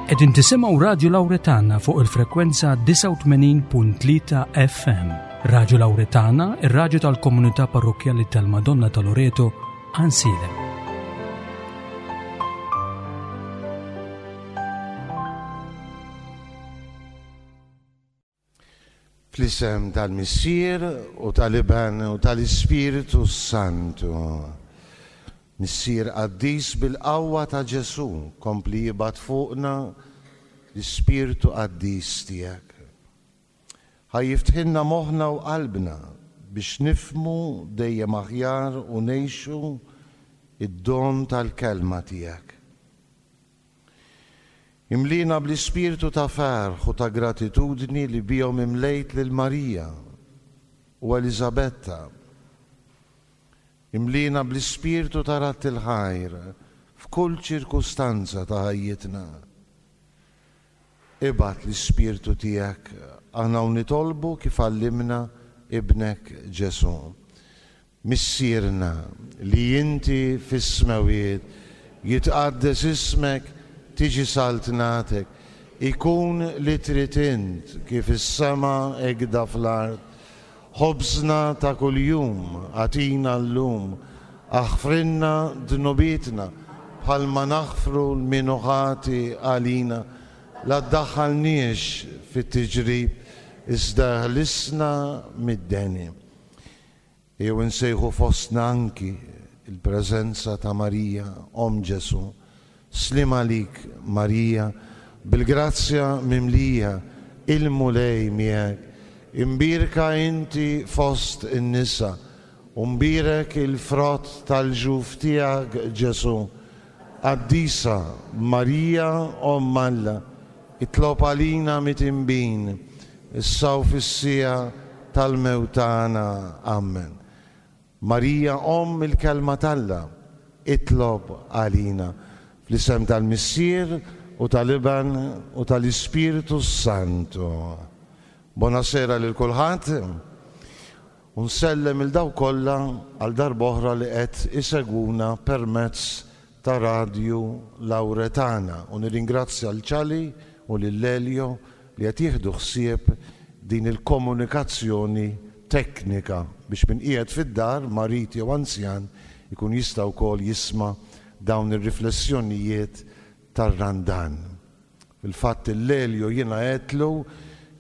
Qegħdin tisimgħu Radju Lawretana fuq il-frekwenza 89.3 FM. Radju Lawretana, ir-radju tal-komunità parrokkjali tal-Madonna ta' Loreto, Għansielem. Fl-isem tal-Missier u tal-Iben u tal-Ispirtu s-Santu. Missier qaddis bil-qawwa ta' Ġesù kompli jibgħat fuqna l-Ispirtu qaddis tiegħek. Ħa jiftħilna moħħna u qalbna biex nifhmu dejjem aħjar u ngħixu d-don tal-Kelma tiegħek. Imliena bl-ispirtu ta' ferħ u ta' gratitudni li bihom imlejt lil Marija u Eliżabetta. Imliena bl-ispirtu ta' radd il-ħajr f'kull ċirkustanza ta' ħajjitna. Ibgħat l-Ispirtu tiegħek, aħna u nitolbu kif għallimna Ibnek Ġesù. Missierna li inti fis-smewwiet, jitqaddes ismek, tiġi saltnatek, ikun li trid int kif fis-sema hekda fl-art. Ħobżna ta' kuljum agħtina llum, aħfrilna dnubietna bħalma naħfru 'l min hu ħati għalina, la ddaħħalniex fit-tiġrib, iżda eħlisna mid-deni. Ejjew insejħu fostna anki l-preżenza ta' Marija, Omm Ġesù. Sliem għalik, Marija, bil-grazzja mimlija, il-Mulej miegħek. Imbierka inti fost in-nisa, u mbierek il-frott tal-ġuf tiegħek, Ġesù. Qaddisa Marija, Omm Alla, itlob għalina mitinbin, issa u fis-siegħa tal-mewt tagħna. Ammen. Marija Omm il-Kelma t'Alla, itlob għalina. Fl-isem tal-Missier u tal-Iben u tal-Ispirtu s-Santu. Buonasera lil kulħadd u nsellem 'il dawk kollha għal darb'oħra li qed isegwuna permezz ta' Radju Lauretana u nirringrazzja 'l Ċali u lil Elio li qed jieħdu ħsieb din il-komunikazzjoni teknika biex min qiegħed fid-dar, marid jew anzjan, ikun jista' wkoll jisma' dawn ir-riflessjonijiet tar-Randan. Fil-fatt il-Lelio jiena għedtlu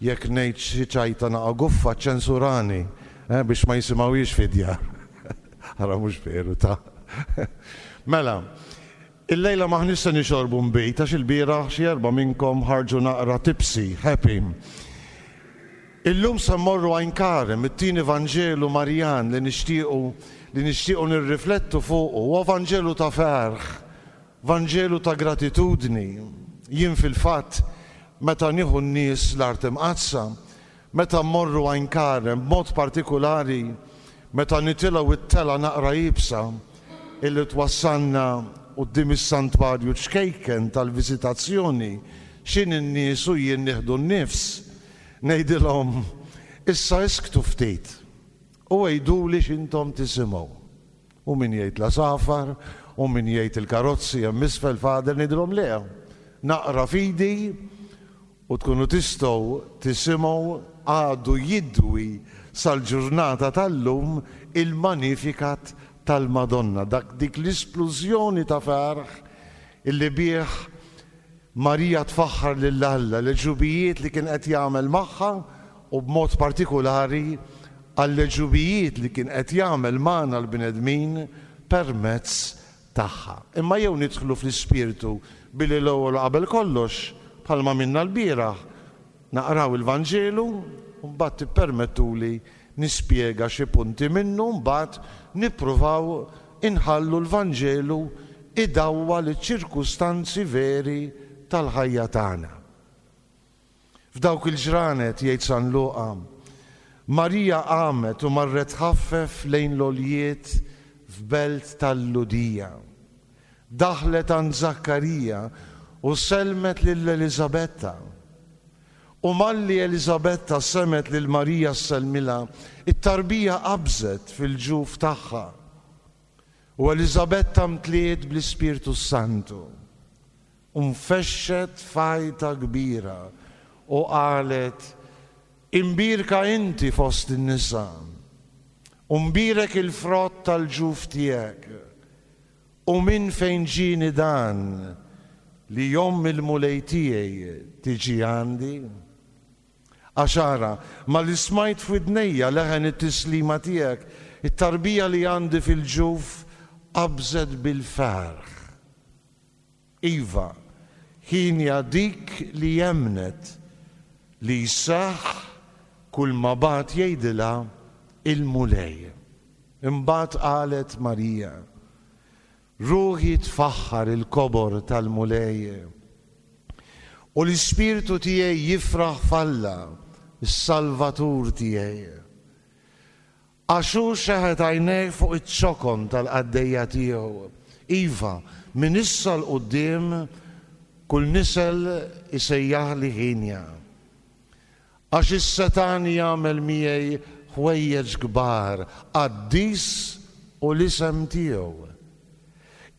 jekk ngħid xi ċajta naqa' guffa ċċensurani eh biex ma jisimgħuhiex fid-djar. Ara mhux veru ta. Mela, illejla m'aħniex se nixorbu nbid għax ilbieraħ xi erbgħa minnkom ħarġu naqra tipsy, happy. Illum se mmorru Għajn Karem, it-tieni Vanġelu Marjan li nixtiequ li nixtiequ nirriflettu fuqu. Huwa Vanġelu ta' ferħ, Vanġelu ta' gratitudni. Jien fil-fatt meta nieħu n-nies l-Art Imqaddsa, meta mmorru Għajn Karem, b'mod partikulari meta nitilgħu t-telgħa naqra iebsa illi twassalna quddiem is-santwarju ċkejken tal-Viżitazzjoni, x'in in-nies u jien nieħdu n-nifs, ngħidilhom, Issa isktu ftit u għiduli x'intom tisimgħu. U min jgħid l-għasafar, u min jgħid il-karozzi hemm isfel Father, ngħidilhom le. Naqra fidi u tkunu tistgħu tisimgħu għadu jidwi sal-ġurnata tal-lum il-Magnificat tal-Madonna, dak dik l-isplużjoni ta' ferħ illi bih Marija tfaħħar lil Alla, l-għeġubijiet li kien qed jagħmel magħha u b'mod partikulari għall-għeġubijiet li kien qed jagħmel magħna l-bnedmin permezz tagħha. Imma jew nidħlu fl-ispirtu billi l-ewwel u qabel kollox, bħalma għamilna lbieraħ, naqraw il-Vanġelu u mbagħad tippermettuli nispjega xi punti minnu mbagħad nippruvaw inħallu l-Vanġelu idawwal iċ-ċirkustanzi veri tal-ħajja tagħna. F'dawk il-ġranet, jgħid San Luqa, Marija qamet u marret tħaffef lejn l-għoljiet f'belt tal-Lhudija. Daħlet għand Żakkarija u sellmet lil Eliżabetta. U malli Eliżabetta semgħet lil Marija ssellmilha, it-tarbija qabżet fil-ġuf tagħha. U Eliżabetta mtliet bl-Ispirtu s-Santu. U nfexxet f'għajta kbira u qalet, Imbierka inti fost in-nisa, u mbierek il-frott tal-ġuf tiegħek. U minn fejn ġieni dan li omm il-Mulej tiegħi tiġi għandi? Għax ara, malli smajt f'widnejja leħen it-tislima tiegħek, it-tarbija li għandi fil-ġuf qabżet bil-ferħ. Iva, hienja dik li emmnet li jseħħ kulma bagħat jgħidilha il-Mulej. Imbagħad qalet Marija, Ruħi tfaħħar il-kobor tal-Mulej, u l-ispirtu tiegħi jifraħ f'Alla, is-Salvatur tiegħi. Għax hu xeħet għajnejh fuq iċ-ċokon tal-qaddejja tiegħu. Iva, minn issa 'l quddiem kull nisel isejjaħli hienja. Għax is-setgħani jagħmel miegħi ħwejjeġ kbar, qaddis hu l-isem tiegħu.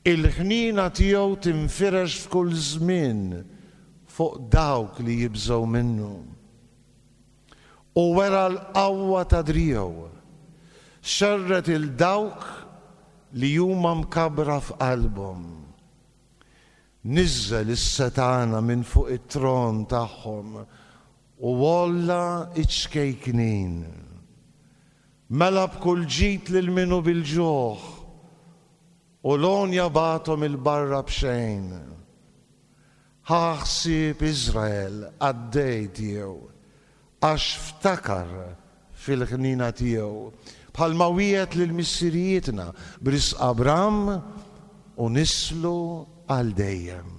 Il-ħniena tiegħu tinfirex f'kull żmien fuq dawk li jibżgħu minnu. U wera l-qawwa ta' driegħu. Xerred 'il dawk li huma mkabbra f'qalbhom. Niżżel is-setgħana minn fuq it-tron tagħhom u għolla ċ-ċkejknin. Mela b'kull ġid lil min hu bil-ġuħ, u l-għonja bagħathom 'il barra b'xejn. Ħa ħsieb Iżrael qaddej tiegħu, għax ftakar fil-ħniena tiegħu, bħalma wiegħed lil missirijietna b'risq Abram u nislu għal dejjem.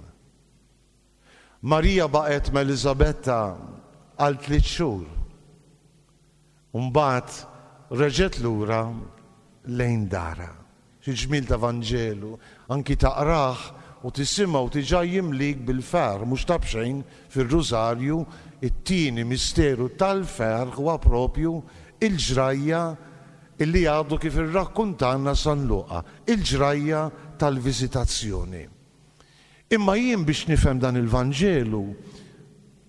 Marija baqgħet m'Eliżabetta għal tliet xhur, u mbagħad reġgħet lura lejn darha. Xi ġmiel ta' Vanġelu, anki taqrah u tisimgħu diġà jimlik bil-ferħ, mhux ta' b'xejn fir-Rużarju t-tieni misteru tal-ferħ huwa propju l-ġrajja li għadu kif irrakkuntalna San Luqa, il-ġrajja tal-Viżitazzjoni. Imma jien biex nifhem dan il-Vanġelu,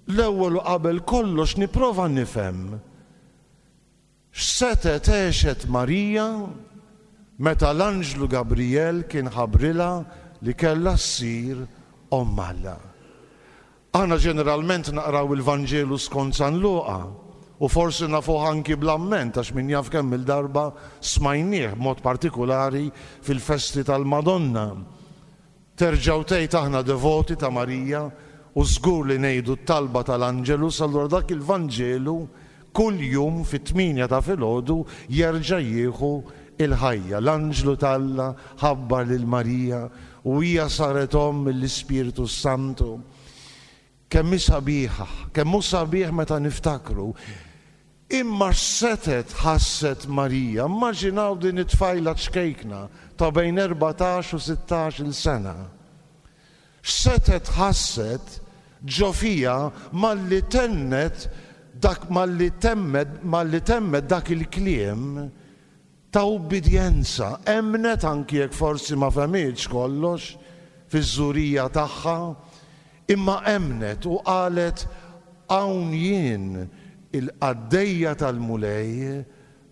l-ewwel u qabel kollox nipprova nifhem X'setgħet għexet Marija meta l-anġlu Gabrijel kien ħabbrilha li kellha ssir Omm Alla? Aħna ġeneralment naqraw il-Vanġelu skont San Luqa, u forsi nafuh anki bl-amment għax min jaf kemm-il darba smajnieh b'mod partikulari fil-festi tal-Madonna. Terġa' u tgħid aħna devoti ta' Marija u żgur li ngħidu t-talba tal-Angelus allura dak il-Vanġelu kull jum fit-tmienja ta' filgħodu jerġa' jieħu l-ħajja. L-anġlu t'Alla ħabbar lil Marija u hija saret omm mill-Ispirtu s-Santu. Kemm hi sabiħa, kemm hu sabiħ meta niftakru. Imma x'setgħet ħasset Marija? Immaġinaw din it-tfajla ċkejkna ta' bejn 14 u 16-il sena. X'setgħet ħasset ġo fiha malli tennet dak malli temmet malli temmet dak il-kliem ta' ubbidjenza, emmnet anki jekk forsi ma fehmitx kollox fiż-żurija tagħha, imma emmnet u qalet, Hawn jien, il-qaddejja tal-Mulej,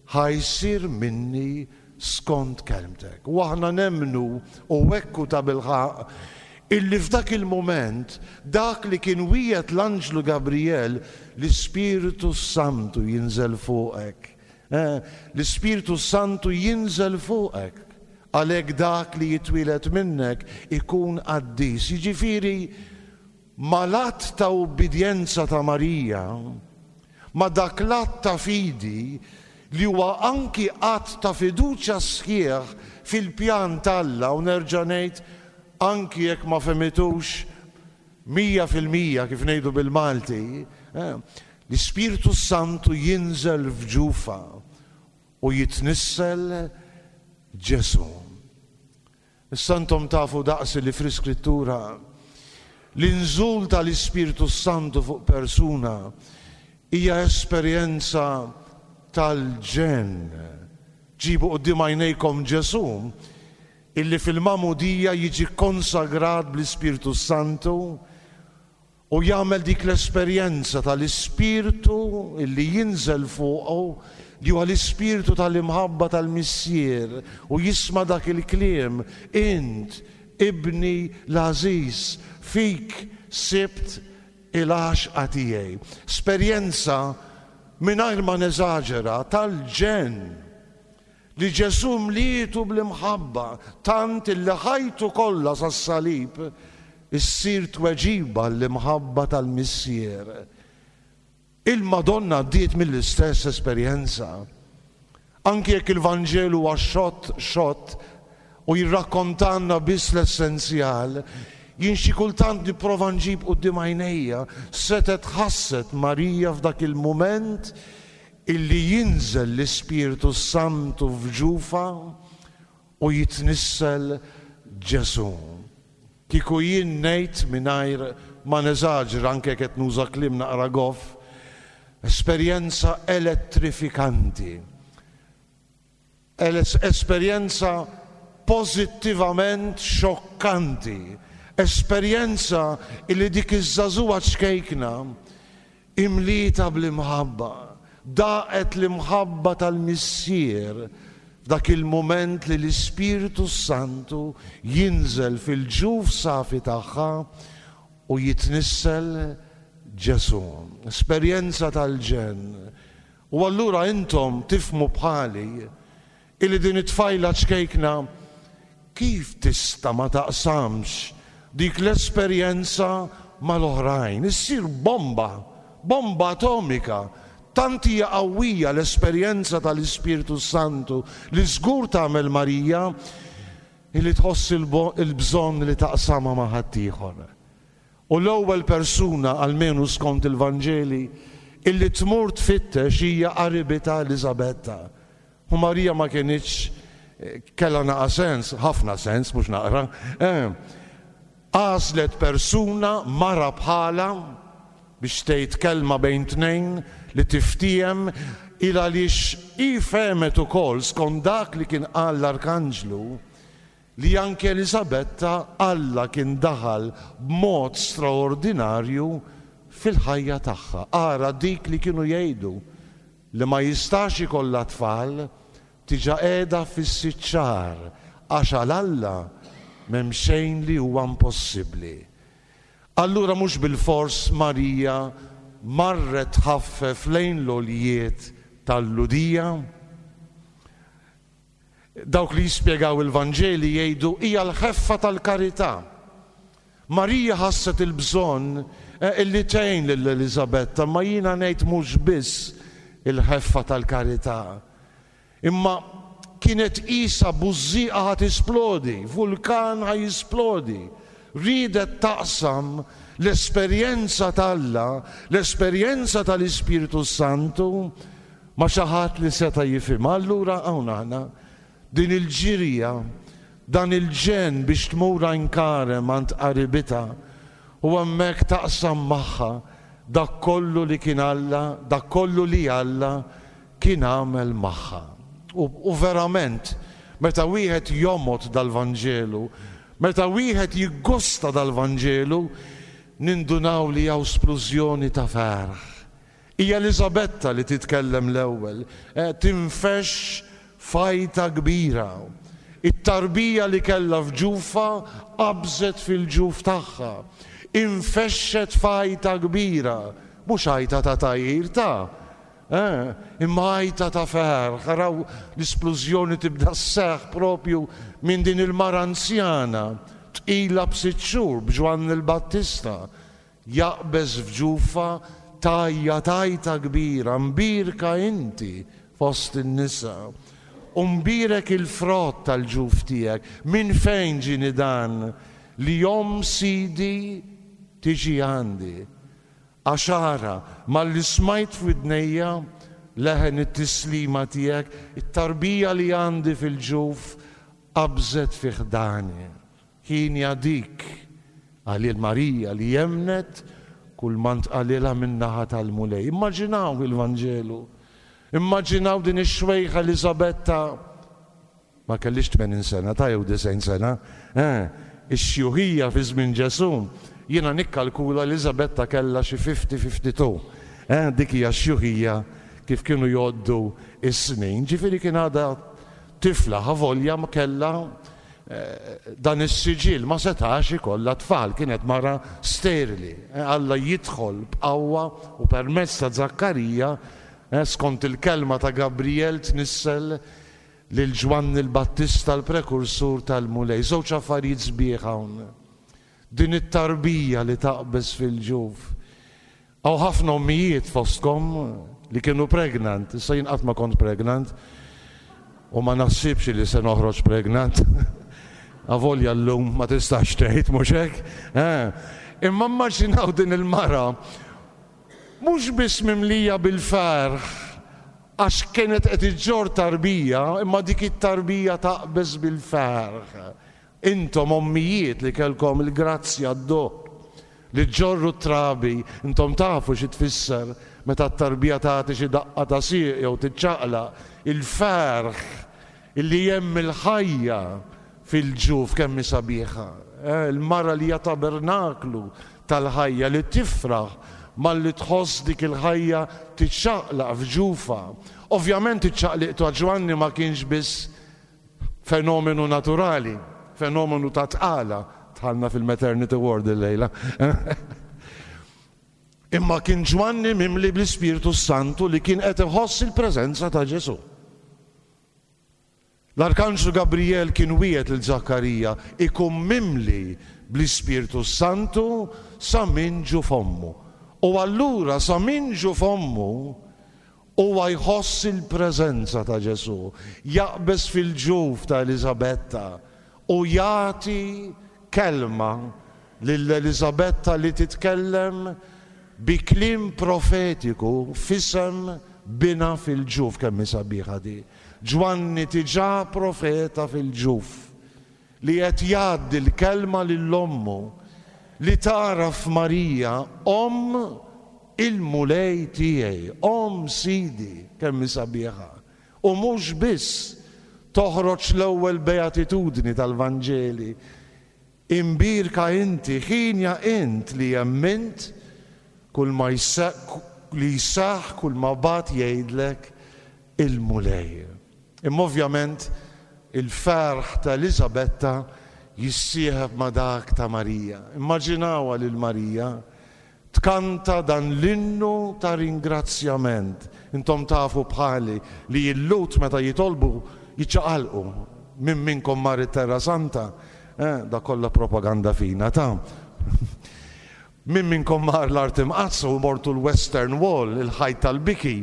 ħa jsir minni skont kelmtek. U aħna nemmnu, u hekk hu tabilħaqq, illi f'dak il-mument, dak li kien wiegħed l-anġlu Gabrijel, l-Ispirtu s-Santu jinżel fuqek, L-Ispirtu s-Santu jinżel fuqek, għalhekk dak li jitwieled minnek ikun qaddis. Jiġifieri, mal-att ta' ubbidjenza ta' Marija, ma' dak l-att ta' fidi li huwa anki att ta' fiduċja sħiħ fil-pjan t'Alla, u nerġa' ngħid, anki jekk ma fehmitux 100% kif ngħidu bil-Malti, L-Ispirtu s-Santu jinżel f'ġufha u jitnissel Ġesù. Issa intom tafu daqsi li fl-Iskrittura l-inżul tal-Ispirtu s-Santu fuq persuna hija esperjenza tal-ġenn. Ġibu quddiem għajnejkom Ġesù. illi fil-magħmudija jiġi kkonsagrat bl-Ispirtu s-Santu u jagħmel dik l-esperjenza tal-Ispirtu illi jinżel fuqu li huwa l-Ispirtu tal-imħabba tal-Missier u jisma' dak il-kliem, Int Ibni l-għażiż, fik sibt il-għaxqa tiegħi. Esperjenza, mingħajr ma neżaġera, tal-ġenn li Ġesù mlietu bl-imħabba tant illi ħajtu kollha sas-salib issir tweġiba għall-imħabba tal-Missier. Il-Madonna għaddiet mill-istess esperjenza. Anki jekk il-Vanġelu huwa xott xott u jirrakkontalna biss l-essenzjal, jien xi kultant nipprova nġib quddiem għajnejja x'setgħet ħasset Marija f'dak il-mument illi jinżel l-Ispirtu s-Santu f'ġufha u jitnissel Ġesù. Kieku jien ngħid mingħajr ma neżaġera anke jekk qed nuża kliem naqra goff, esperjenza elettrifikanti. Esperjenza pożittivament xokkanti. Esperjenza illi dik iż-żagħżugħa ċkejkna Imlietha bl-imħabba, daqet l-imħabba tal-Missier f'dak il-mument li l-Ispirtu s-Santu jinżel fil-ġuf safi tagħha u jitnissel Ġesù. Esperjenza tal-ġenn. U allura intom tifhmu bħali Illi din it-tfajla ċkejkna kif tista' ma taqsamx dik l-esperjenza mal-oħrajn? Issir bomba, bomba atomika. Tant hija qawwija l-esperjenza tal-Ispirtu s-Santu li żgur tagħmel Marija illi tħoss il-bżonn li taqsamha ma' ħaddieħor. U l-ewwel persuna, almenu skont il-Vanġeli, illi tmur tfittex hija qaribitha Eliżabetta. U Marija ma kinitx kellha naqa' sens, ħafna sens, mhux naqra, eh. Għażlet persuna, mara bħalha, biex tgħid kelma bejn tnejn li tiftiehem il għaliex hi fehmet ukoll skont dak li kien qal l-arkanġlu li anke Eliżabetta Alla kien daħal b'mod straordinarju fil-ħajja tagħha. Ara dik li kienu jgħidu li ma jistax ikollha tfal, diġa qiegħda fis-sitt xahar, għax għal Alla m'hemm xejn li huwa impossibbli. Allura mhux bilfors Marija marret tħaffef lejn l-għoljiet tal-Lhudija? Dawk li jispjegaw il-Vanġeli jgħidu hija l-ħeffa tal-karità. Marija ħasset il-bżonn illi tgħin lil Eliżabetta, imma jiena ngħid mhux biss il-ħeffa tal-karità. Imma kienet qisha bużżieqa ħa tisplodi, vulkan ħa jisplodi. Riedet taqsam l-esperjenza t'Alla, l-esperjenza tal-Ispirtu s-Santu ma' xi ħadd li seta' jifhimha. Allura hawn aħna, din il-ġirja, dan il-ġenn biex tmur Għajn Karem għand qaribitha u hemmhekk taqsam magħha dak kollu li kien Alla, dak kollu li Alla kien għamel magħha. U, u verament, meta wieħed jomgħod dal-Vanġelu, meta wieħed jiggusta dal-Vanġelu, nindunaw li hawn splużjoni ta' ferħ. Hija Eliżabetta li titkellem l-ewwel. Tinfexx f'għajta kbira. It-tarbija li kellha f'ġufha qabżet fil-ġuf tagħha. Infexxet f'għajta kbira. Mhux għajta ta' tgħajjir, ta'. Imma għajta ta' ferħ. Araw l-isplużjoni tibda sseħħ propju minn din il-mara anzjana, tqila b'sitt xhur b'Ġwanni l-Battista. Jaqbeż f'ġufha, tgħajjat għajta kbira, Mbierka inti fost in-nisa, u mbierek il-frott tal-ġuf tiegħek! Minn fejn ġieni dan, li omm Sidi tiġi għandi? Għax ara, malli smajt f'widnejja leħen it-tislima tiegħek, it-tarbija li għandi fil-ġuf qabżet fi ħdani. Hienja dik, qalil Marija li emmnet kull ma ntqalilha min-naħa tal-Mulej. Immaġinaw il-Vanġelu! Immaġinaw din ix-xwejħa Eliżabetta! Ma kellhiex 80 sena, ta' jew 90 sena. Eh, ix-xjuħija fi żmien Ġesù, jiena nikkalkula Eliżabetta kellha xi 50, 52. Eh, dik hija x-xjuħija kif kienu jgħoddu s-snin. Ġifieri kien għadha tifla, avolja ma kellha dan is-siġill, ma setax ikollha tfal, kienet mara sterili. Alla jidħol b'qawwa u permezz ta' Żakkarija, skont il-kelma ta' Gabrijel tnissel lil Ġwanni l-Battista l-prekursur tal-Mulej. Żewġ affarijiet sbieħ hawn. Din it-tarbija li taqbeż fil-ġuf. Hawn ħafna ommijiet fostkom li kienu pregnant, issa jien qatt ma kont pregnant u ma naħsibx li se noħroġ pregnant. Avolja llum ma tistax tgħid mhux hekk? Eh. Imma immaġinaw din il-mara mhux biss mimlija bil-ferħ għax kienet qed iġġorr tarbija, imma dik it-tarbija taqbeż bil-ferħ. Intom ommijiet li kellkom il-grazzja d-dopp li ġġorru t-trabi, intom tafu xi tfisser meta t-tarbija tagħti xi daqqa ta' sieq jew tiċċaqlaq, il-ferħ illi hemm il-ħajja fil-ġuf kemm hi sabiħa. Il-mara li hija tabernaklu tal-ħajja li tifraħ malli tħoss dik il-ħajja tiċċaqlaq f'ġufha. Ovvjament iċ-ċaqliq ta' Ġwanni ma kienx biss Fenomenu naturali, fenomenu ta' tqala, dħalna fil-maternity ward illejla. Imma kien Ġwanni mimli bl-Ispirtu s-Santu li kien qed iħoss il-preżenza ta' Ġesù. L-Arkanġlu Gabrijel kien wiegħed lil Żakkarija ikun mimli bl-Ispirtu s-Santu sa minn ġuf ommu. U allura sa minn ġuf ommu Huwa jħoss il-preżenza ta' Ġesù, jaqbeż fil-ġuf ta' Eliżabetta u jagħti kelma lil Eliżabetta li titkellem bi kliem profetiku f'isem binha fil-ġuf. Kemm hi sabiħa di! Ġwanni diġà profeta fil-ġuf li qed jgħaddi l-kelma lil ommu li tagħraf Marija omm Il-Mulej tiegħi, Omm Sidi, kemm hi sabiħa! U mhux biss toħroġ l-ewwel beatitudni tal-Vanġeli, Imbierka inti, ħienja int li emmint kull ma li jseħħ kull ma bagħat jgħidlek il-Mulej. Imma ovvjament il-ferħ ta' Eliżabetta jissieħeb ma' dak ta' Marija. Immaġinawha lil Marija Tkanta dan l-innu ta' ringrazzjament. Intom tafu bħali li l-Lhud meta jitolbu jiċċaqalqu. Min minnkom mar it-Terra Santa? Eh, dak kollha propaganda fina, ta'. Min minnkom mar l-Art Imqaddsa u mortu l-Western Wall, il-ħajt tal-biki,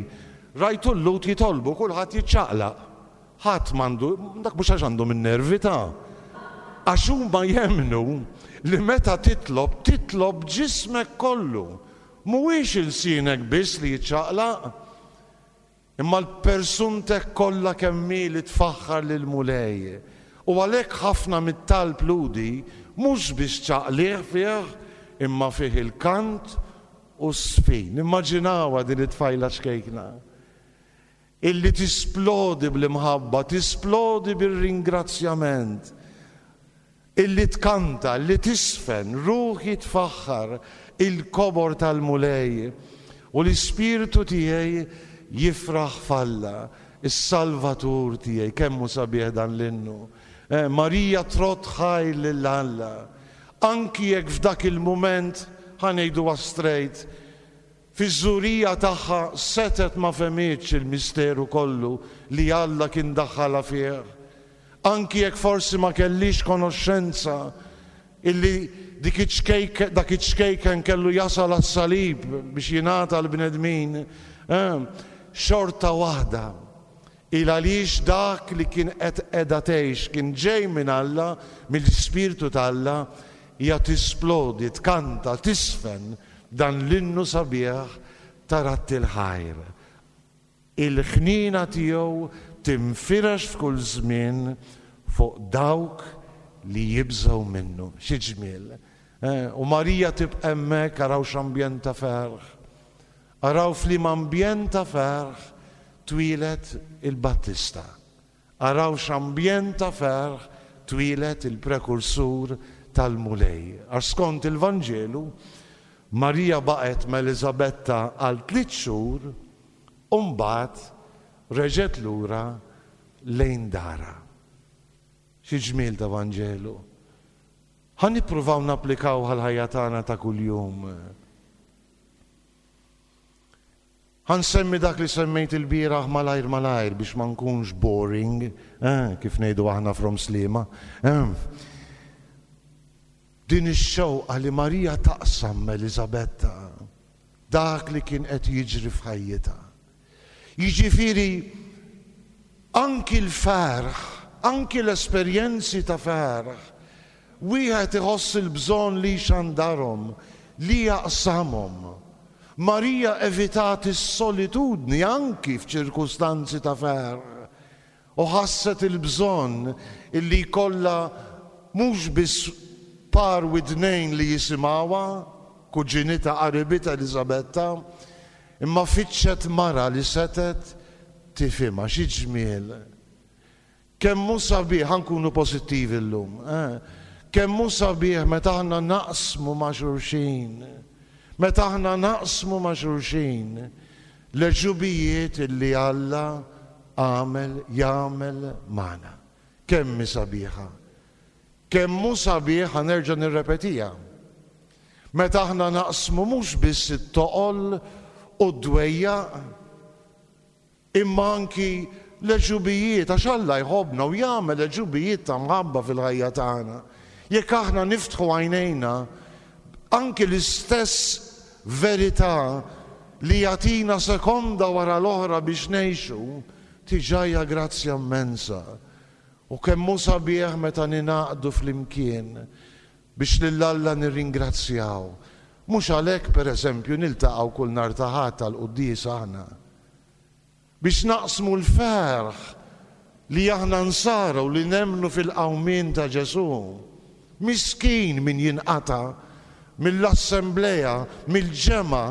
rajtu l-Lhud jitolbu, kulħadd jiċċaqlaq. Ħadd m'għandu, dak mhux għax għandhom in-nervi ta'. Għax huma jemmnu li meta titlob, titlob b'ġismek kollu. Mhuwiex ilsienek biss li jiċċaqlaq, imma l-persuntek kollha kemm hi li tfaħħar lill-Mulej. U għalhekk ħafna mit-talb Lhudi mhux biss ċaqliq fih, imma fih il-kant u ż-żfin. Immaġinawha din it-tfajla ċkejkna. Illi tisplodi bl-imħabba, tisplodi bir-ringrazzjament, illi tkanta, illi tiżfen, ruħi tfaħħar il-kobor tal-Mulej, u l-ispirtu tiegħi jifraħ f'Alla, is-Salvatur tiegħi. Kemm hu sabiħ dan l-innu! Marija trodd ħajr lil Alla, anki jekk f'dak il-mument, ħa ngħiduha straight, Fiż-żurija tagħha setgħet ma fehmitx il-misteru kollu li Alla kien daħħalha fih, anki jekk forsi ma kellhiex konoxxenza illi dik iċ-ċkejke, dak iċ-ċkejken kellu jasal għas-salib biex jingħata għall-bnedmin, xorta waħda, il għaliex dak li kien qed qiegħda tgħix kien ġej minn Alla, mill-Ispirtu t'Alla, hija tisplodi, tkanta, tiżfen dan l-innu sabiħ ta' radd il-ħajr. Il-ħniena tiegħu tinfirex f'kull żmien fuq dawk li jibżgħu minnu. Xi ġmiel! U Marija tibqa' hemmhekk, araw x'ambjent ta' ferħ! Araw f'liema ambjent ta' ferħ twieled il-Battista. Araw x'ambjent ta' ferħ twieled il-prekursur tal-Mulej. Għax skont il-Vanġelu, Marija baqgħet m'Eliżabetta għal tliet xhur u mbagħad reġgħet lura lejn darha. Xi ġmiel ta' Vanġelu! Ħa nippruvaw napplikawh għall-ħajja tagħna ta' kuljum. Ħa nsemmi dak li semmejt ilbieraħ malajr malajr biex ma nkunx boring, eh, kif ngħidu aħna from Sliema. Eh. Din ix-xewqa li Marija taqsam m'Eliżabetta dak li kien qed jiġri f'ħajjitha. Jiġifieri anki l-ferħ, anki l-esperjenzi ta' ferħ, wieħed iħoss il-bżonn li jxandarhom, li jaqsamhom. Marija evitat is-solitudni anki f'ċirkustanzi ta' ferħ u ħasset il-bżonn illi jkollha mhux biss par widnejn li jisimgħuha, kuġinitha qaribitha Eliżabetta, imma fittxet mara li setgħet tifhimha. Xi ġmiel! Kemm hu sabiħ, ħa nkunu pożittivi llum, eh, kemm hu sabiħ meta aħna naqsmu ma' xulxin, meta aħna naqsmu ma' xulxin l-għeġubijiet illi Alla għamel, jagħmel magħna. Kemm hi sabiħa! Kemm hu sabiħ, ħa nerġa' nirrepetiha, meta aħna naqsmu mhux biss it-toqol u d-dwejjaq, Imma anki l-għeġubijiet, għax Alla jħobbna u jagħmel għeġubijiet ta' mħabba fil-ħajja tagħna. Jekk aħna niftħu għajnejna, anki l-istess verità li jagħtina sekonda wara l-oħra biex ngħixu, diġà hija grazzja mmensa. U kemm hu sabiħ meta ningħaqdu flimkien biex lil Alla nirringrazzjaw. Mhux għalhekk, per eżempju, niltaqgħu kull nhar ta' Ħadd għall-quddiesa aħna. Biex naqsmu l-ferħ li aħna Nsara u li nemmnu fil-qawmien ta' Ġesù. Miskin min jinqata' mill-assemblea, mill-ġemgħa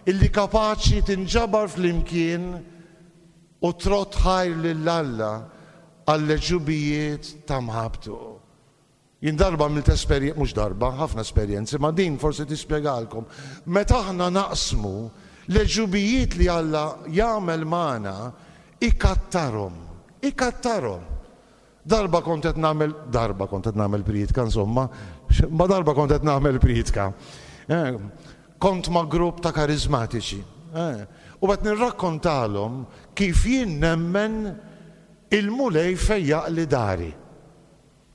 illi kapaċi tinġabar flimkien u trodd ħajr lil Alla għall-għeġubijiet ta' mħabbtu. Jien darba għamilt esperjenza, mhux darba, ħafna esperjenzi, ma din forsi tispjegalkom. Meta aħna naqsmu l-għeġubijiet li Alla jagħmel magħna, ikattarhom, ikattarhom. Darba kont qed nagħmel, darba kont qed nagħmel prietka, insomma, ma darba kont qed nagħmel prietka. Eh, kont ma' grupp ta' kariżmatiċi. Eh, u qed nirrakkontalhom kif jien nemmen il-Mulej fejjaqli dari.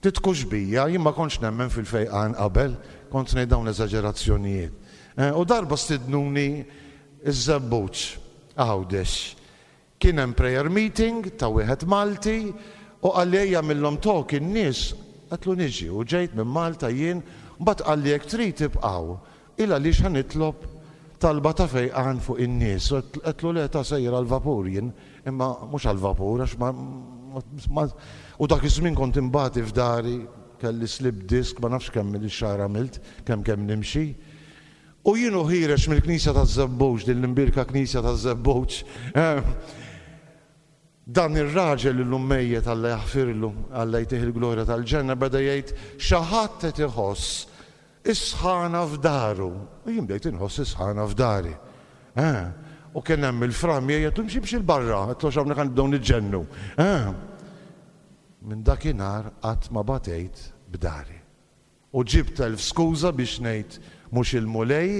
Tidħkux bija, jien ma kontx nemmen fil-fejqan qabel, kont ngħid dawn l-eżaġerazzjonijiet. U darba stidnuni ż-Żebbuġ, Għawdex. Kien hemm prayer meeting ta' wieħed Malti u qalli ejja għamillhom talk in-nies, għedtlu niġi u ġejt minn Malta jien, mbagħad qalli jekk trid ibqgħu, il għaliex ħa nitlob talba ta' fejqan fuq in-nies. Għedtlu le ta' sejjer għall-vapur jien, imma mhux għall-vapur għax ma ma u dak iż-żmien kont inbati f'dari, kelli slip disc, ma nafx kemm il-xahar għamilt, kemm kemm nimxi. U jien u ħiereġ mill-knisja taż-Żebbuġ, din l-imbierka knisja taż-Żebbuġ, Dan ir-raġel illum mejjet Alla jaħfirlu, Alla jtih il-glorja tal-ġenna beda jgħid xi ħadd qed iħoss is-sħana f'daru. U jien bdejt inħoss is-sħana f'dari. Eh. U kien hemm il-fra miegħi għedtlu imxi imxi 'l barra, għedtlu għax hawnhekk ħa nibdew niġġennu. Eh. Minn dakinhar qatt ma batejt b'dari. U ġibt elf skuża biex ngħid mhux il-Mulej,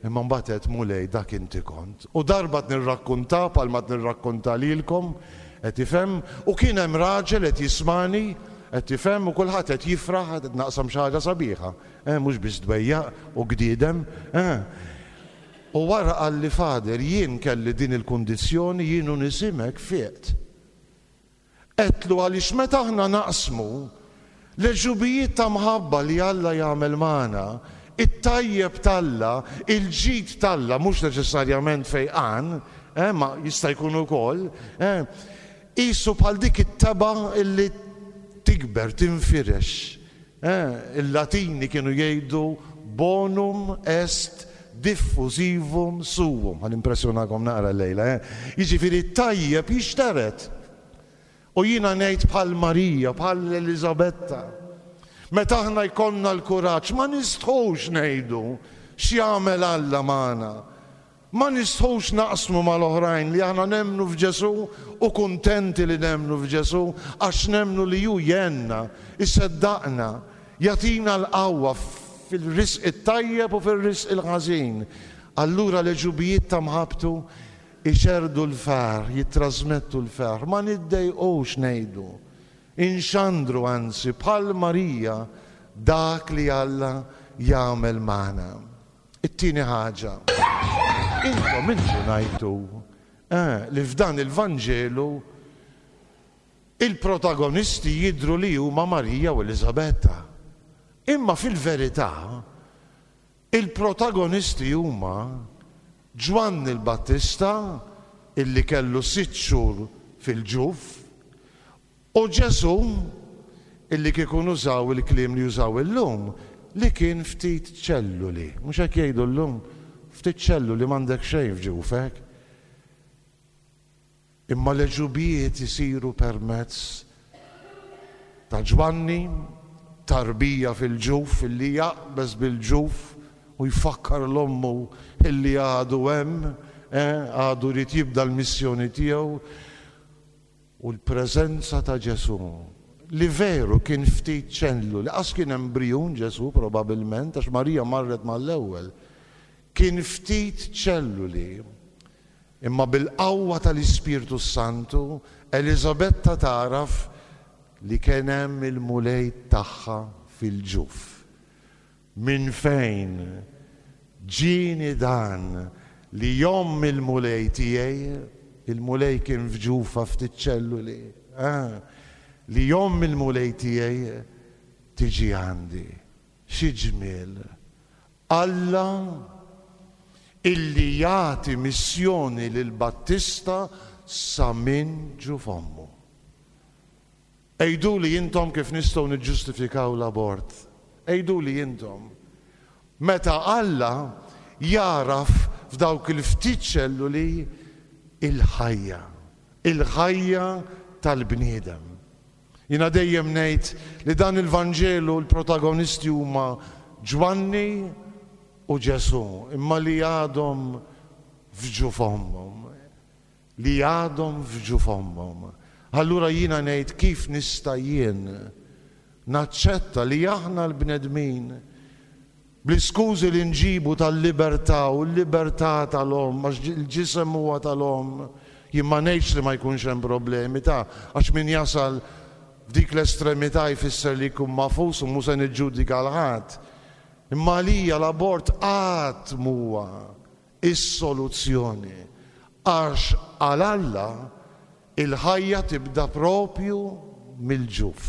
imma mbagħad għedt Mulej dak inti kont. U darba qed nirrakkunta bħalma qed nirrakkunta lilkom, qed tifhem, u kien hemm raġel qed jismagħni, qed tifhem, u kulħadd qed jifraħ, qed naqsam xi ħaġa sabiħa, eh, mhux biss dwejjaq u gdiedem, eh. U wara qalli Father, jien kelli din il-kundizzjoni, jien u nisimek fiqt. Għedtlu għaliex meta aħna naqsmu l-għeġubijiet ta' mħabba li Alla jagħmel magħna, it-tajjeb t'Alla, il-ġid t'Alla, mhux neċessarjament fejqan, eh, ma jista' jkun ukoll, eh, qisu bħal dik it-tebgħa illi tikber, tinfirex. Eh, il-Latini kienu jgħidu bonum est diffusivum suum. Ħa nimpressjonakom naqra llejla, eh. Jiġifieri t-tajjeb jixtered. U jiena ngħid bħal Marija, bħal Eliżabetta, meta aħna jkollna l-kuraġġ ma nistħux ngħidu x'jagħmel Alla magħna. Ma nistħux naqsmu mal-oħrajn li aħna nemmnu f'Ġesù u kuntenti li nemmnu f'Ġesù għax nemmnu li hu jgħinna, iseddaqna, jagħtina l-qawwa fir-risq it-tajjeb u fir-risq il-ħażin. Allura l-għeġubijiet ta' mħabbtu jxerrdu l-ferħ, jittrażmettu l-ferħ. Ma niddejqux ngħidu, inxandru anzi bħal Marija dak li Alla jagħmel magħna. It-tieni ħaġa, intom indunajtu li f'dan il-Vanġelu il-protagonisti jidhru li huma Marija u Eliżabetta. Imma fil-verità, il-protagonisti huma Ġwanni l-Battista illi kellu sitt xhur fil-ġuf U Ġesù, illi kieku nużaw il-kliem li jużaw illum, li kien ftit ċelluli. Mhux hekk jgħidu llum? Ftit ċelluli m'għandek xejn f'ġufek. Imma l-għeġubijiet isiru permezz ta' Ġwanni, tarbija fil-ġuf illi jaqbeż bil-ġuf u jfakkar 'l ommu illi għadu hemm, eh, għadu jrid jibda l-missjoni tiegħu. U l-preżenza ta' Ġesù, li veru kien ftit ċelluli, qas kien embrijun Ġesù probabilment, għax Marija marret mal-ewwel, kien ftit ċelluli, imma bil-qawwa tal-Ispirtu s-Santu, Eliżabetta tagħraf li kien hemm il-Mulej tagħha fil-ġuf. Minn fejn ġieni dan li omm il-Mulej tiegħi, il-Mulej kien f'ġufha ftit ċelluli, eh, li omm il-Mulej tiegħi tiġi għandi. Xi ġmiel! Alla illi jagħti missjoni lill-Battista sa minn ġuf ommu. Għiduli intom kif nistgħu niġġustifikaw l-abort. Għiduli intom. Meta Alla jagħraf f'dawk il-ftit ċelluli il-ħajja, il-ħajja tal-bniedem. Jiena dejjem ngħid li dan il-Vanġelu l-protagonisti huma Ġwanni u Ġesù, imma li għadhom f'ġuf ommhom. li għadhom f'ġuf ommhom. Allura jiena ngħid kif nista' jien naċċetta li aħna l-bnedmin, bl-iskużi li nġibu tal-libertà u l-libertà tal-omm, għax il-ġisem huwa tal-omm, jien ma ngħidx li ma jkunx hemm problemi ta' għax min jasal f'dik l-estremità jfisser li jkun magħfus u mhu se niġġudika 'l ħadd. Imma għalija l-abort qatt m'huwa is-soluzzjoni għax għal Alla il-ħajja tibda propju mill-ġuf.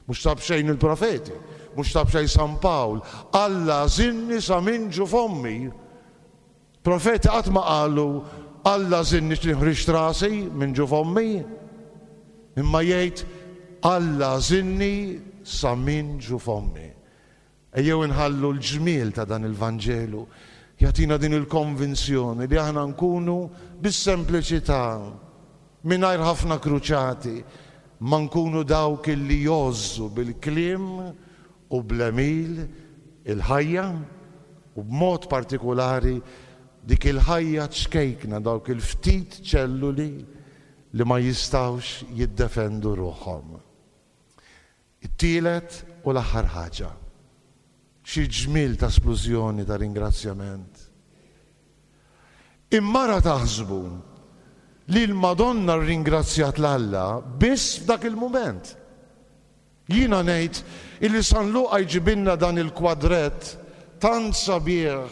Mhux ta' b'xejn il-profeti, mhux ta' b'xejn San Pawl, Alla għażilni sa minn ġuf ommi. Profeti qatt ma qalu Alla għażilni x'li ħriġt rasi minn ġuf ommi, imma jgħid Alla għażilni sa minn ġuf ommi. Ejjew inħallu l-ġmiel ta' dan il-Vanġelu jagħtina din il-konvinzjoni li aħna nkunu bis-sempliċità, mingħajr ħafna kruċati, ma nkunu dawk illi jgħożżu bil-kliem u bl-għemil il-ħajja u b'mod partikulari dik il-ħajja ċkejkna, dawk il-ftit ċelluli li ma jistgħux jiddefendu ruħhom. It-tielet u l-aħħar ħaġa. Xi ġmiel ta' splużjoni ta' ringrazzjament. Imma ra taħsbu li l-Madonna rringrazzjat 'l Alla biss f'dak il-mument. Jiena ngħid illi San Luqa jġibilna dan il-kwadrett tant sabiħ,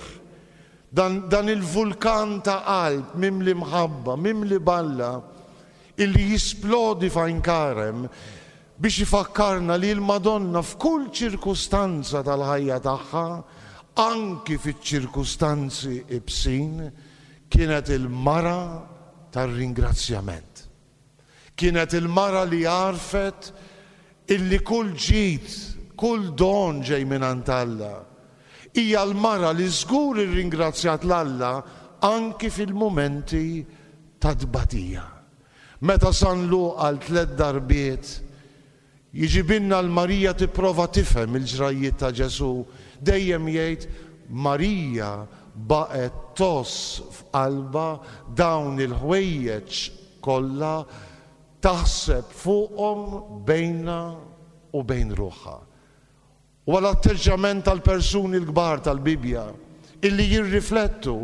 dan, dan il-vulkan ta' qalb mimli mħabba, mimli b'Alla, illi jisplodi f'Għajn Karem biex ifakkarna li l-Madonna f'kull ċirkustanza tal-ħajja tagħha, anki fiċ-ċirkustanzi ibsin, kienet il-mara tar-ringrazzjament. Kienet il-mara li għarfet illi kull ġid, kull don ġej mingħand Alla. Hija l-mara li żgur irringrazzjat 'l Alla anki fil-mumenti ta' tbatija. Meta San Luqa għal tlett darbiet jġibilna 'l Marija tipprova tifhem il-ġrajjiet ta' Ġesù, dejjem jgħid Marija baqgħet tgħożż f'qalbha dawn il-ħwejjeġ kollha taħseb fuqhom bejnha u bejn ruħha. Huwa l-atteġġjament tal-persuni l-kbar tal-Bibbja illi jirriflettu,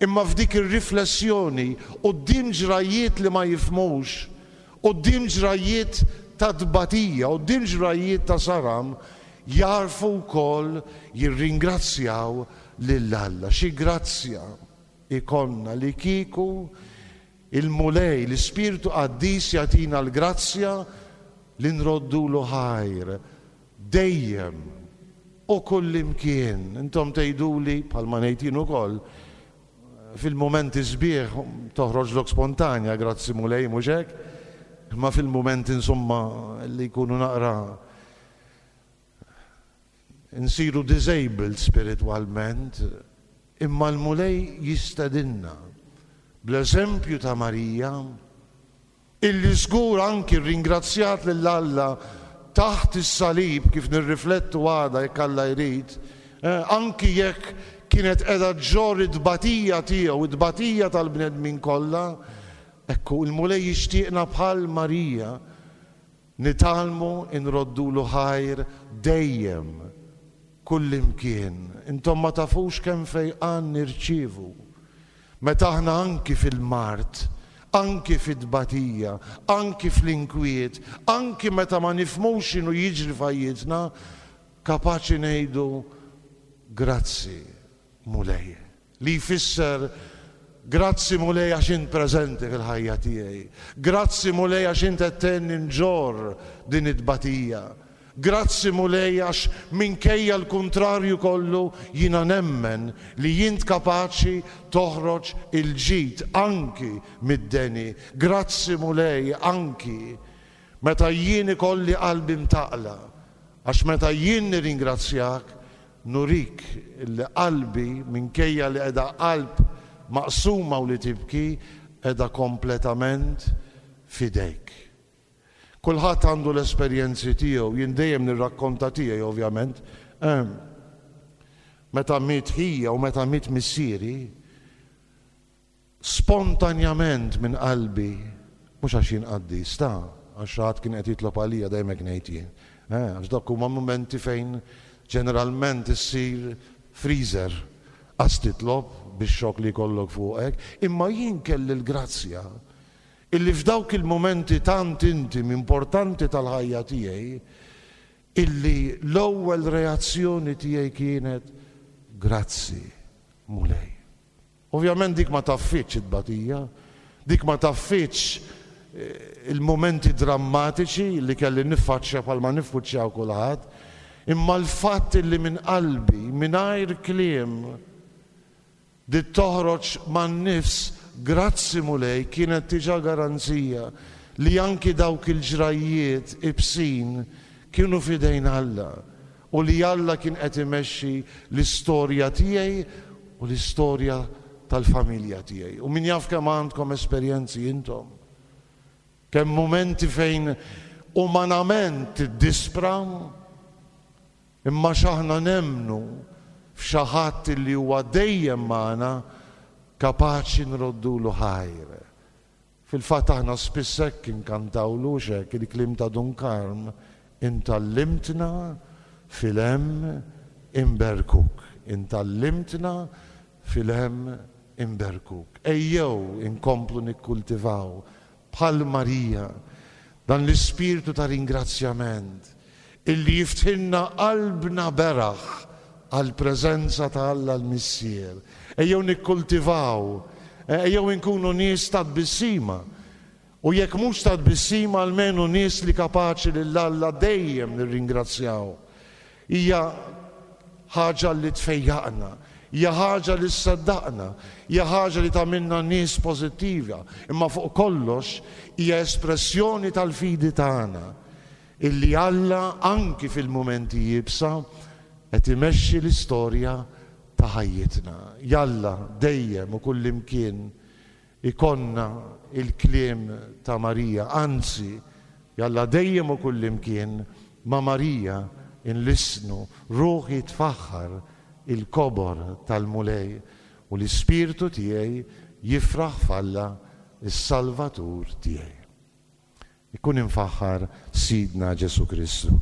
imma f'dik ir-riflessjoni quddiem ġrajjiet li ma jifhmux, quddiem ġrajjiet ta' tbatija, quddiem ġrajjiet ta' saram, jagħrfu wkoll jirringrazzjaw lil Alla. Xi grazzja jkollna li kieku il-Mulej, l-Ispirtu Qaddis jagħtina l-grazzja li nroddulu ħajr Dejjem u kullimkien. Intom tgħiduli, bħalma ngħid jien ukoll, fil-mumenti sbieħ toħroġlok spontanja, grazzi Mulej, mhux hekk? Imma fil-mumenti insomma li jkunu naqra nsiru disabled spiritwalment, imma l-Mulej jistedinna bl-eżempju ta' Marija, Illi żgur anki rringrazzjat lil Alla taħt is-salib kif nirriflettu għada jekk Alla jrid, anki jekk kienet qiegħda ġġorr it-tbatija tiegħu, it-tbatija tal-bnedmin kollha, ekku, il-Mulej jixtieqna bħal Marija nitgħallmu nroddulu ħajr dejjem, kullimkien. Intom ma tafux kemm fejqan nirċievu Meta aħna anki fil-mard, anki fit-tbatija, anki fl-inkwiet, anki meta ma nifhmux x'inhu jiġri f'ħajjitna, kapaċi ngħidu, Grazzi, Mulej. Li jfisser, Grazzi Mulej għax int preżenti fil-ħajja tiegħi. Grazzi Mulej għax int qed tgħinni nġorr din it-tbatija. Grazzi Mulej għax minkejja l-kuntrarju kollu jiena nemmen li int kapaċi toħroġ il-ġid anki mid-deni. Grazzi Mulej anki meta jien ikolli qalbi mtaqqla għax meta jien nirringrazzjak nurik li qalbi minkejja li qiegħda qalb maqsuma u li tibki qiegħda kompletament f'idejk. Kulħadd għandu l-esperjenzi tiegħu, jien dejjem nirrakkonta tiegħi ovvjament. Ehm, meta miet ħija u meta miet missieri, spontanjament minn qalbi, mhux għax jien qaddis ta' għax xi ħadd kien qed jitlob għalija dejjem hekk ngħid jien. Eh, għax dawk huma mumenti fejn ġeneralment issir freezer qas titlob bix-xokk li jkollok fuqek, imma jien kelli l-grazzja Illi f'dawk il-mumenti tant intimi importanti tal-ħajja tiegħi, illi l-ewwel reazzjoni tiegħi kienet, Grazzi, Mulej. Ovvjament dik ma taffitx it-tbatija, dik ma taffitx il-mumenti drammatiċi li kelli niffaċċja bħalma niffuċċjaw kulħadd, imma l-fatt illi minn qalbi, mingħajr kliem, Bdiet toħroġ man-nifs Grazzi Mulej kienet diġà garanzija li anki dawk il-ġrajjiet ibsin kienu f'idejn Alla u li Alla kien qed imexxi l-istorja tiegħi u l-istorja tal-familja tiegħi. U min jaf kemm għandkom esperjenzi intom. Kemm mumenti fejn umanament tiddispra, Imma x'aħna nemmnu f'xi ħadd li huwa dejjem magħna kapaċi nroddulu ħajr. Fil-fatt aħna spiss hekk inkantawlu, hux hekk, il-kliem ta' Dun Karm, Int għallimtna fil-hemm inberkuk, int għallimtna fil-hemm inberkuk. Ejjew inkomplu nikkultivaw Bħal Marija, dan l-ispirtu ta' ringrazzjament illi jiftħilna qalbna beraħ għall-preżenza ta' Alla l-Missier. Ejjew nikkultivaw, ejjew inkunu nies ta' tbissima. U jekk mhux ta' tbissima almenu nies li kapaċi lil Alla dejjem nirringrazzjaw. Hija ħaġa li tfejjaqna, hija ħaġa li sseddaqna, hija ħaġa li tagħmilna nies pożittiva, imma fuq kollox hija espressjoni tal-fidi tagħna illi Alla anki fil-mumenti iebsa qed imexxi l-istorja ta' ħajjitna. Jalla dejjem u kullimkien ikollna il-kliem ta' Marija, anzi, jalla dejjem u kullimkien ma' Marija nlissnu, Ruħi tfaħħar il-kobor tal-Mulej, u l-ispirtu tiegħi jifraħ f'Alla s-Salvatur tiegħi. Ikun imfaħħar Sidna Ġesù Kristu.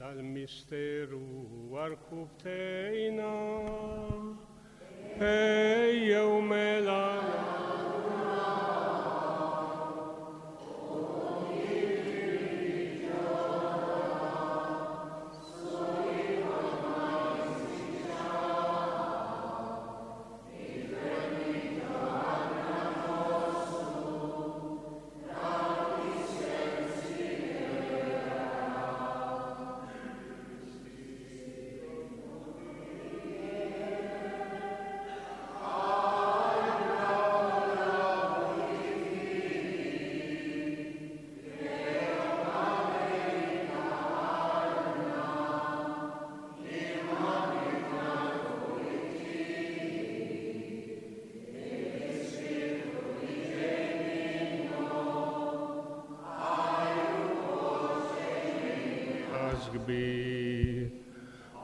Dal-misteru għarkubtejna, ejjew mela Kbir.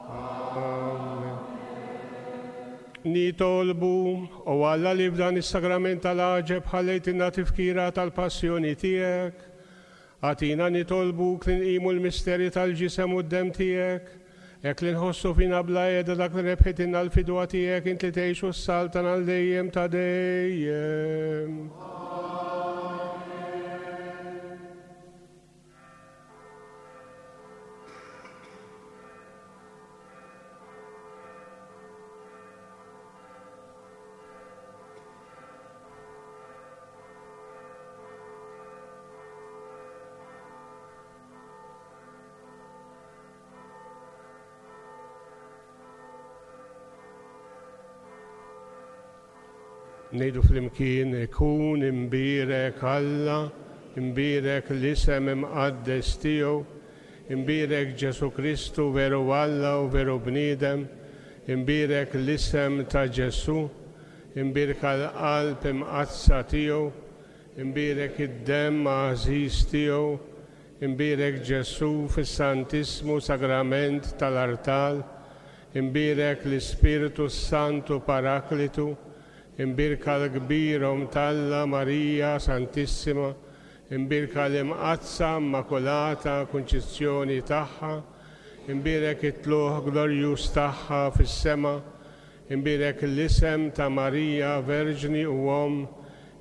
Amen. Nitolbu, o Alla li f'dan is-sagrament tal-għaġeb ħallejtilna tifkira tal-passjoni tiegħek, agħtina nitolbuk li nqimu l-misteri tal-ġisem u d-demm tiegħek, hekk li nħossu fina bla qiegħda dak li rebħitilna l-fidwa tiegħek int li tgħix u ssaltan għal dejjem ta' dejjem. Ngħidu flimkien, Ikun imbierek Alla, imbierek l-isem imqaddes tiegħu, imbierek Ġesù Kristu veru Alla u veru bniedem, imbierek l-isem ta' Ġesù, imbierka l-qalb imqaddsa tiegħu, imbierek id-demm għażiż tiegħu, imbierek Ġesù fis-Santissmu Sagrament tal-artal, Imbierek l-Ispirtu s-Santu Paraklitu, imbierka l-kbir Omm t'Alla Marija Santissima, imbierka l-Imqaddsa Immakulata Kunċizzjoni tagħha, imbierek it-tlugħ glorjuż tagħha fis-sema, imbierek l-isem ta' Marija Verġni u Omm,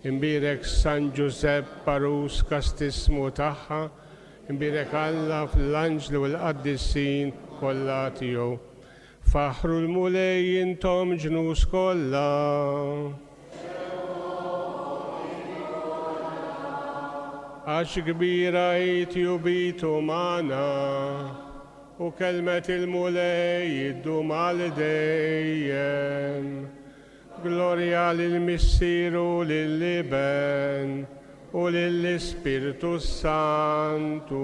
imbierek San Ġużepp Għarus Kastissmu tagħha, Imbierek Alla fl-anġli u l-qaddisin kollha tiegħu. Faħħru l-Mulej intom ġnus kollha. Għax kbira hi tjubitu magħna, u kelmet il-Mulej iddum għal dejjem. Glorja lill-Missier u lill-Iben u lill-Ispirtu s-Santu,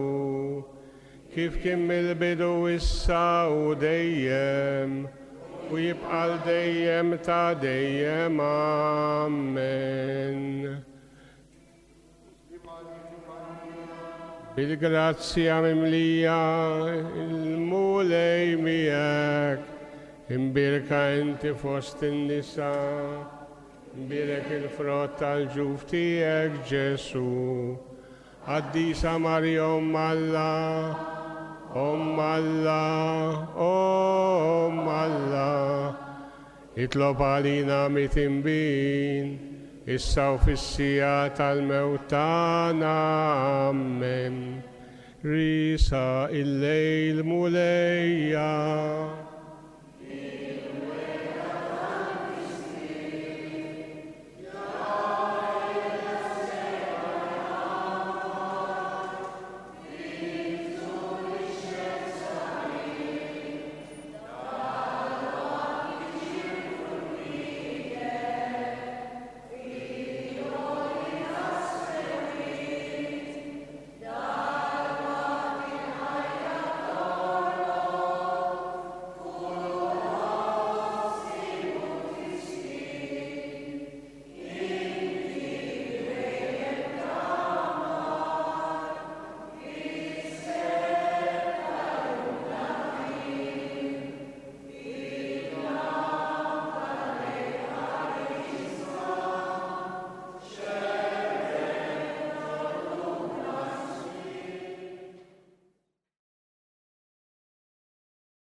kif kien mill-bidu issa u dejjem, u jibqa' għal dejjem ta' dejjem. Amen. Bil-grazzja mimlija il-Mulej miegħek, imbierka inti fost in-nisa, imbierek il-frott tal-ġuf tiegħek Ġesù. Qaddisa Marija Omm Alla, Omm Alla, Omm Alla, itlob għalina mitinbin, issa u fis-siegħa tal-mewt tagħna. Ammen. Riesaq il-lejl Mulejja.